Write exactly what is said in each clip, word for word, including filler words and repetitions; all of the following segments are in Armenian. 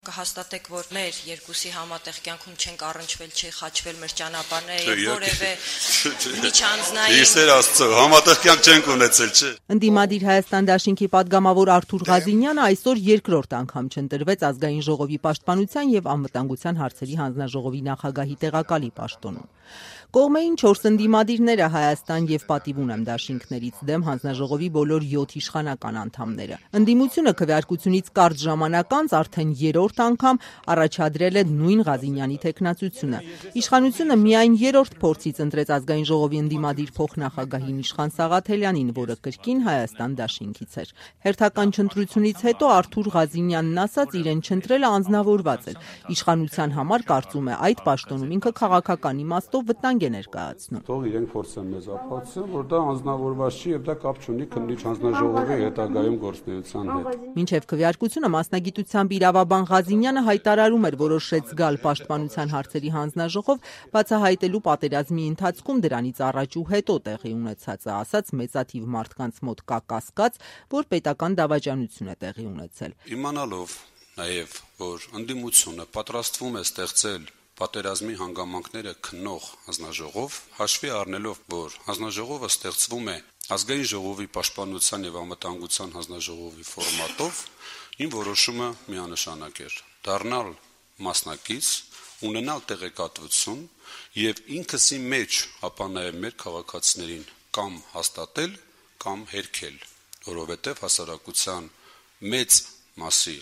Կհաստատեք, որ մեր երկուսի համատեղ կյանքում չենք առնչվել, չի խաչվել մեր ճանապարհները եւ որևէ միջանձնային Իսեր Աստծո, համատեղ կյանք չենք ունեցել, չէ։ Ընդդիմադիր Հայաստան դաշինքի падգամավոր Արթուր Ղազինյանը այսօր երկրորդ անգամ չընտրվեց ազգային ժողովի պաշտպանության եւ անվտանգության հարցերի հանձնաժողովի նախագահի տեղակալի պաշտոնում։ Կողմեին չորս ընդդիմադիրները Հայաստան եւ պատիվ ունեմ դաշինքներից դեմ հանձնաժողովի բոլոր յոթ իշխանական անդամները։ Ընդդիմությունը քվեարկությունից կարճ ժամանակ անց արդեն երրորդ անգամ առաջադրել է նույն Ղազինյանի թեկնածությունը։ Իշխանությունը միայն երրորդ փորձից ընտրեց ազգային ժողովի ընդդիմադիր փոխնախագահին Իշխան Սաղաթելյանին, որը կրկին Հայաստան դաշինքից էր։ Հերթական չընտրությունից հետո Արթուր Ղազինյանն ասաց, իրեն չընտրելը անձնավորված էր։ Իշխանության համար կարծում է այդ պաշտոնում ինքը քաղաքական իմաստով վտանգ է ներկայացնում։ Թող իրենք փորձեն մեզ ապացուցեն, որ դա անձնավորված չի եւ դա կապ չունի քննիչ հանձնաժողովի հետագայում գործունեության հետ։ Մինչև քվեարկությունը մասնագիտությամբ իրավաբան Ղազինյանը հայտարարում էր որոշեց գալ պաշտպանության հարցերի հանձնաժողով, բացահայտելու պատերազմի ընթացքում դրանից առաջ ու հետո տեղի ունեցածը, ասաց մեծաթիվ մարդկանց մոտ կա կասկած, որ պետական դավաճանություն է տեղի ունեցել։ Իմանալով նաեւ, որ ընդդիմությունը պատրաստվում է ստեղծել պատերազմի հանգամանքները քննող հանձնաժողով, հաշվի առնելով, որ հանձնաժողովը ստեղծվում է ազգային ժողովի պաշտպանության եւ անվտանգության հանձնաժողովի ֆորմատով, իմ որոշումը միանշանակ էր՝ դառնալ մասնակից, ունենալ տեղեկատվություն եւ ինքսի մեջ, ապա նաեւ մեր քաղաքացիներին կամ հաստատել, կամ հերքել, որովհետեւ հասարակության մեծ մասի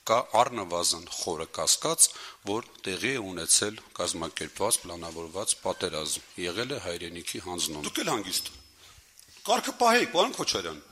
կա առնվազն խորը կասկած, որ տեղի է ունեցել կազմակերպված, պլանավորված պատերազմ, եղել է հայրենիքի հանձնում։ Դուք էլ հանգիստ։ Կարգը պահեք, պարոն Քոչարյան։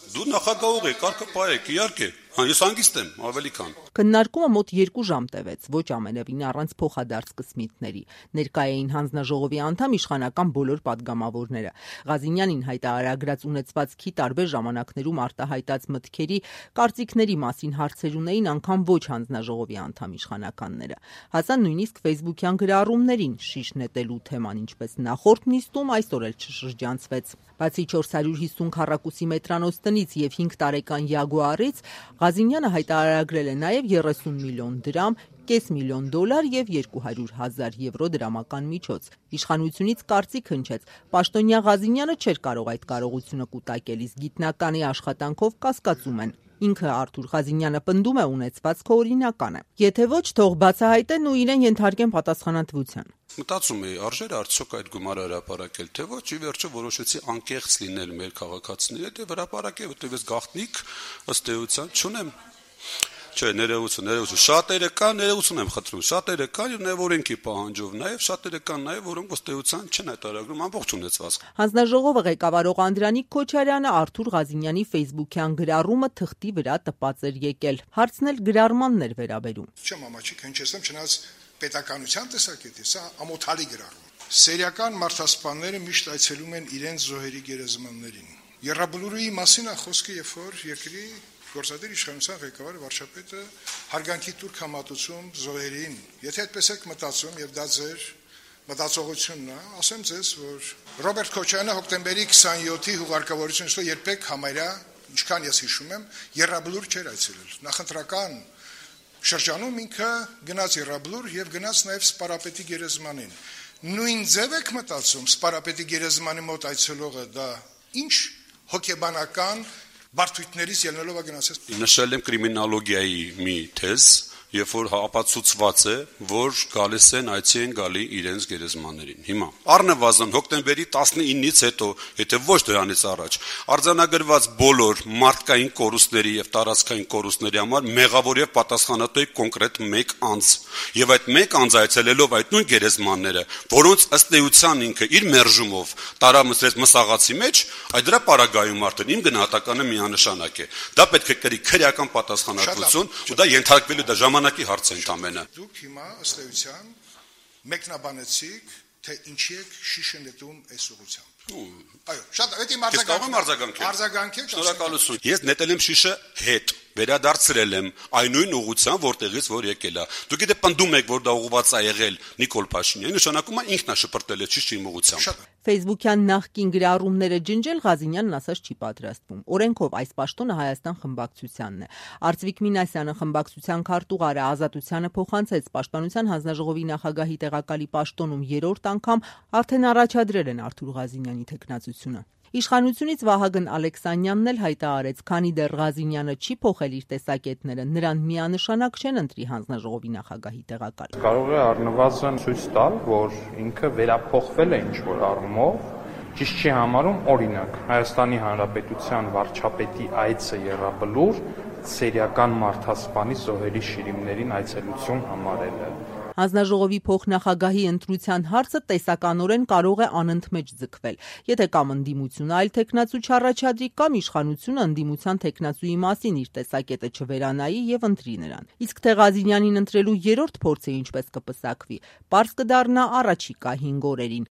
Դու նախագահող եք, կարգը պահեք, իհարկե։ Ես հանգիստ եմ, ավելի քան։ Քննարկումը մոտ երկու ժամ տևեց, ոչ ամենևին առանց փոխադարձ կսմիթների։ Ներկայ էին հանձնաժողովի անդամ իշխանական բոլոր падգամավորները։ Ղազինյանին հայտարարագրած ունեցվածքի տարբեր ժամանակներում արտահայտած մտքերի, կարծիքների մասին հարցեր ունեին անգամ ոչ հանձնաժողովի անդամ իշխանականները։ Հասան նույնիսկ ֆեյսբուքյան գրառումներին, շիշ նետելու թեման ինչպես նախորդ նիստում այսօր էլ չշրջանցվեց։ Բացի չորս հարյուր հիսուն քառակուսի մետրանոց տնից եւ հինգ տարեկան Յագուարից, Ղազինյանը հայտարարագրել է նաև երեսուն միլիոն դրամ, կես միլիոն դոլար եւ երկու հարյուր հազար եվրո դրամական միջոց։ Իշխանությունից կարծիք հնչեց, պաշտոնյա Ղազինյանը չէր կարող այդ կարողությունը կուտակել, իսկ գիտնականի աշխատանքով կասկածում են։ Ինքը Արթուր Ղազինյանը պնդում է ունեցվածքը օրինական է։ Եթե ոչ, թող բացահայտեն ու իրեն ենթարկեն պատասխանատվության։ Մտածում էի, արժեր արդյոք այդ գումարը հրապարակել, թե ոչ, ի վերջո որոշեցի անկեղծ լինել մեր քաղաքացիների հետ եւ հրապարակել, որտեղ ես գաղտնիք ըստ էության չունեմ։ Չէ, ներողություն, ներողություն, շատերը կան, ներողություն եմ խնդրում, շատերը կան եւ նաեւ օրենքի պահանջով, նաեւ շատերը կան նաեւ, որոնք ըստ էության չեն հայտարարում ամբողջ ունեցվածք։ Հանձնաժողովը ղեկավարող Անդրանիկ Քոչարյանը Արթուր Ղազինյանի ֆեյսբուքյան գրառումը թղթի վրա տպած էր եկել։ Հարցն էլ գրառմանն էր վերաբերում։ Չեմ ամաչիկ հնչեցնում, չնայած պետականության տեսակետից սա ամոթալի գրառում։ Սերիական մարդասպանները միշտ այցելում են իրենց զոհերի գերեզմաններին։ Եռաբլուրի մասին է խոսքը, երբ որ երկրի գործադիր իշխանության ղեկավարը վարչապետը հարգանքի տուրք համատուցում զոհերին։ Եթե այդպես եք մտածում եւ դա ձեր մտածողությունն է, ասեմ ձեզ, որ Ռոբերտ Քոչարյանը հոկտեմբերի քսանյոթի հուղարկավորությունից հետո երբեք համարյա, ինչքան ես հիշում եմ, Եռաբլուր չէր այցելել։ Նախընտրական շրջանում ինքը գնաց Եռաբլուր եւ գնաց նաեւ Սպարապետի գերեզմանին։ Նույն ձև եք մտածում, Սպարապետի գերեզմանի մոտ այցելողը դա ինչ հոգեբանական բարդույթներից ելնելով գնացես։ Նշել եմ կրիմինոլոգիայի մի թեզ, երբ որ ապացուցված է, որ գալիս են այցի են գալի իրենց գերեզմաններին։ Հիմա առնվազն հոկտեմբերի տասնինից հետո, եթե ոչ դրանից առաջ, արձանագրված բոլոր մարդկային կորուստների եւ տարածքային կորուստների համար մեղավոր եւ պատասխանատու է կոնկրետ մեկ անձ։ Եվ այդ մեկ անձ այցելելով այդ նույն գերեզմանները, որոնց ըստ էության ինքը իր մերժումով տարամսրեց մսաղացի մեջ, այդ դրա պարագայում արդեն իմ գնահատականը միանշանակ է։ Դա պետք է կրի քրեական պատասխանատվություն, ու դա ենթարկվելու դա ժամանակի հարց է ընդամենը։ Դուք հիմա ըստ էության մեկնաբանեցիք, թե ինչի եք շիշը նետում այս ուղղությամբ։ Այո, շատ, դա իմ արձագանքն է։ Արձագանքել։ Արձագանքեք։ Շնորհակալություն։ Ես նետել եմ շիշը հետ։ վերադարձրել եմ այն նույն ուղղության, որտեղից որ եկել է։ Դուք եթե պնդում եք, որ դա ուղղված է եղել Նիկոլ Փաշինյանի, նշանակում է ինքն է շպրտել է ճիշտ իմ ուղղությամբ։ Facebook-յան նախկին գրառումները ջնջել Ղազինյանն ասած չի պատրաստվում։ Օրենքով այս պաշտոնը Հայաստան խմբակցությանն է։ Արծվիկ Մինասյանը խմբակցության քարտուղարը Ազատությանը փոխանցեց Պաշտպանության հանձնաժողովի նախագահի տեղակալի պաշտոնում երրորդ անգամ արդեն առաջադրել են Արթուր Ղազինյանի թեկնածությունը։ Իշխանությունից Վահագն Ալեքսանյանն էլ հայտարարեց, քանի դեռ Ղազինյանը չի փոխել իր տեսակետները, նրան միանշանակ չեն ընտրի հանձնաժողովի նախագահի տեղակալ։ Կարող է առնվազն ցույց տալ, որ ինքը վերափոխվել է ինչ-որ առումով, ճիշտ չի համարում, օրինակ, Հայաստանի Հանրապետության վարչապետի այցը Եռաբլուր սերիական մարդասպանի զոհերի շիրիմներին այցելություն համարելը։ Հանձնաժողովի փոխնախագահի ընտրության հարցը տեսականորեն կարող է անընդմեջ ձգվել, եթե կամ ընդդիմությունը այլ թեկնածու չառաջադրի, կամ իշխանությունը ընդդիմության թեկնածուի մասին իր տեսակետը չվերանայի եւ ընտրի նրան։ Իսկ թե Ղազինյանին ընտրելու երրորդ փորձը ինչպես կպսակվի, պարզ կդառնա առաջիկա հինգ օրերին։